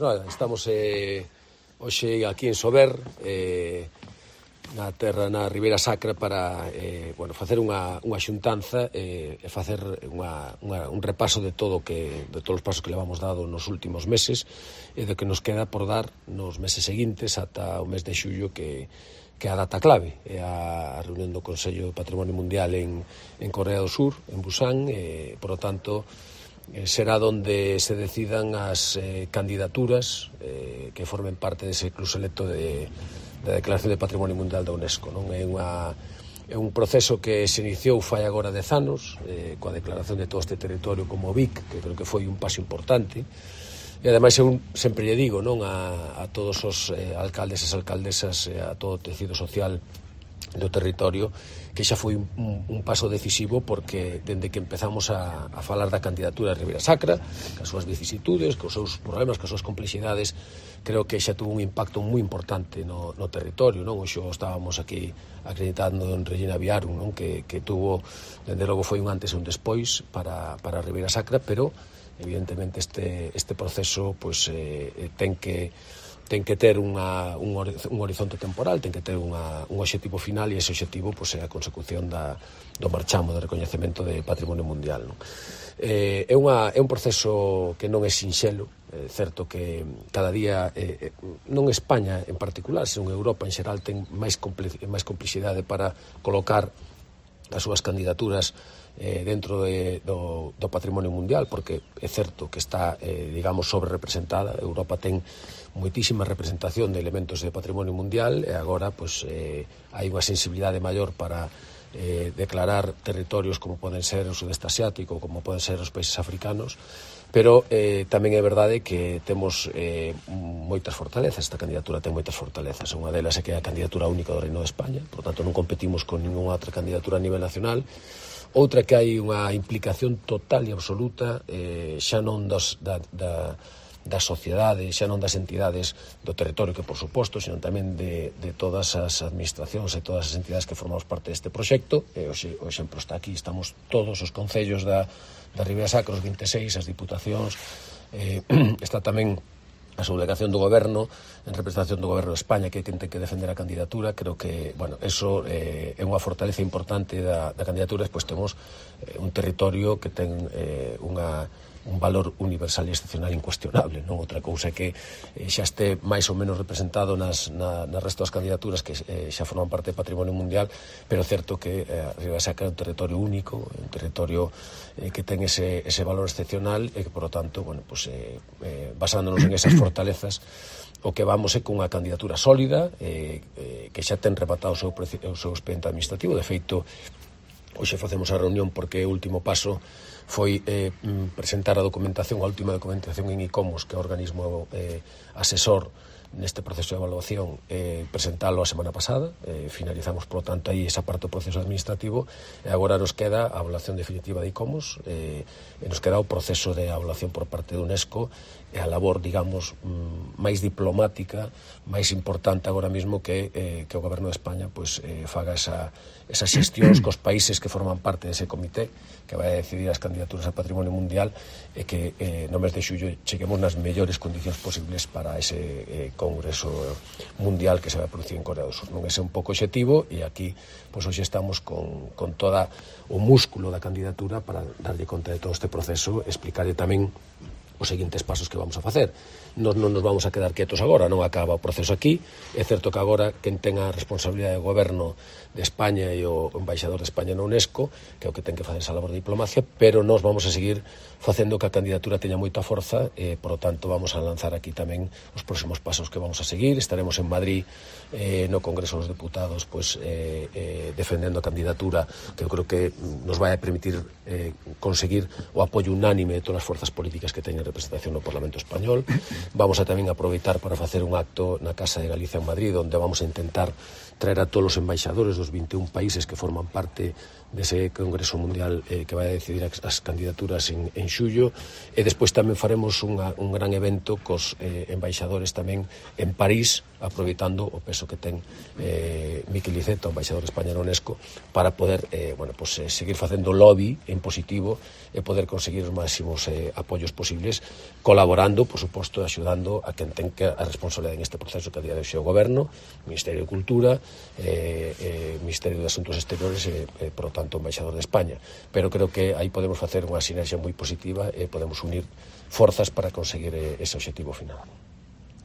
Estamos hoxe aquí en Sober, na terra, na Ribeira Sacra, para facer unha xuntanza e facer un repaso de todos os pasos que levamos dado nos últimos meses e do que nos queda por dar nos meses seguintes ata o mes de xullo, que é a data clave, é a reunión do Consello de Patrimonio Mundial en Corea do Sur, en Busan, e, por lo tanto, será donde se decidan as candidaturas que formen parte dese club selecto da Declaración de Patrimonio Mundial da UNESCO. Non é un proceso que se iniciou fai agora 10 anos, coa declaración de todo este territorio como BIC, que creo que foi un paso importante. E ademais eu sempre lle digo, non, a todos os alcaldes e alcaldesas, a todo o tecido social do territorio, que xa foi un paso decisivo, porque dende que empezamos a falar da candidatura de Ribeira Sacra, cas súas vicisitudes, cos seus problemas, cas súas complexidades, creo que xa tuvo un impacto moi importante no territorio, non? Hoxe estábamos aquí acreditando en Regina Viarum, non? Que tuvo, dende logo, foi un antes e un despois para Ribeira Sacra, pero evidentemente este proceso ten que ter un horizonte temporal, ten que ter un obxectivo final, e ese obxectivo é a consecución do marchamo de recoñecemento de Patrimonio Mundial, non? É un proceso que non é sinxelo. É certo que cada día, non España en particular, senón Europa en xeral, ten máis complexidade para colocar as súas candidaturas dentro do patrimonio mundial, porque é certo que está, sobre-representada. Europa ten moitísima representación de elementos de patrimonio mundial, e agora hai unha sensibilidade maior para declarar territorios como poden ser o sudeste asiático, como poden ser os países africanos, pero tamén é verdade que temos moitas fortalezas. Esta candidatura ten moitas fortalezas. Unha delas é que é a candidatura única do Reino de España, por tanto non competimos con ninguna outra candidatura a nivel nacional. Outra, que hai unha implicación total e absoluta, xa non da sociedade, xa non das entidades do territorio, que por suposto, senón tamén de todas as administracións e todas as entidades que formamos parte deste proxecto. Hoxe o exemplo está aquí, estamos todos os concellos da Ribeira Sacra, os 26, as diputacións, está tamén a subdelegación do Goberno, en representación do Goberno de España, que é quen ten que defender a candidatura. Creo que, eso é unha fortaleza importante da candidatura. Despois temos un territorio que ten un valor universal e excepcional incuestionable, non? Outra cousa é que xa este máis ou menos representado nas resto das candidaturas que xa forman parte do patrimonio mundial, pero é certo que a Ribeira Sacra é un territorio único, un territorio que ten ese valor excepcional, e que, por lo tanto, basándonos en esas fortalezas, o que vamos é con unha candidatura sólida, que xa ten rematado o seu expediente administrativo. De feito, hoxe facemos a reunión porque o último paso foi presentar a última documentación en ICOMOS, que é o organismo asesor neste proceso de evaluación, presentalo a semana pasada. Finalizamos, por lo tanto, aí esa parte do proceso administrativo, e agora nos queda a evaluación definitiva de ICOMOS, e nos queda o proceso de evaluación por parte da UNESCO, e a labor, máis diplomática, máis importante agora mesmo, que o Goberno de España faga esas xestións cos países que forman parte dese comité que vai a decidir as candidaturas a Patrimonio Mundial, e que no mes de xullo cheguemos nas mellores condicións posibles para ese congreso mundial que se vai a producir en Corea do Sur. Non é un pouco obxectivo, e aquí hoxe estamos con toda o músculo da candidatura para darlle conta de todo este proceso, explicarlle tamén os seguintes pasos que vamos a facer. Non nos vamos a quedar quietos agora, non acaba o proceso aquí. É certo que agora quen ten a responsabilidade do Goberno de España e o embaixador de España na UNESCO, que é o que ten que facer esa labor de diplomacia, pero nós vamos a seguir facendo que a candidatura teña moita forza, e, por lo tanto, vamos a lanzar aquí tamén os próximos pasos que vamos a seguir. Estaremos en Madrid, no Congreso dos Deputados, defendendo a candidatura, que eu creo que nos vai a permitir conseguir o apoio unánime de todas as forzas políticas que teñen representación no Parlamento Español. Vamos a tamén aproveitar para facer un acto na Casa de Galicia en Madrid, onde vamos a intentar traer a todos os embaixadores dos 21 países que forman parte dese Congreso Mundial que vai a decidir as candidaturas en xullo, e despois tamén faremos un gran evento cos embaixadores tamén en París, aproveitando o peso que ten Miquel Iceta, o embaixador de España na UNESCO, para poder seguir facendo lobby en positivo e poder conseguir os máximos apoios posibles, colaborando, por suposto, axudando a quen ten a responsabilidade en este proceso que a día de hoxe é o Goberno, Ministerio de Cultura, Ministerio de Asuntos Exteriores e, por lo tanto, o embaixador de España. Pero creo que aí podemos facer unha sinergia moi positiva e podemos unir forzas para conseguir ese obxectivo final.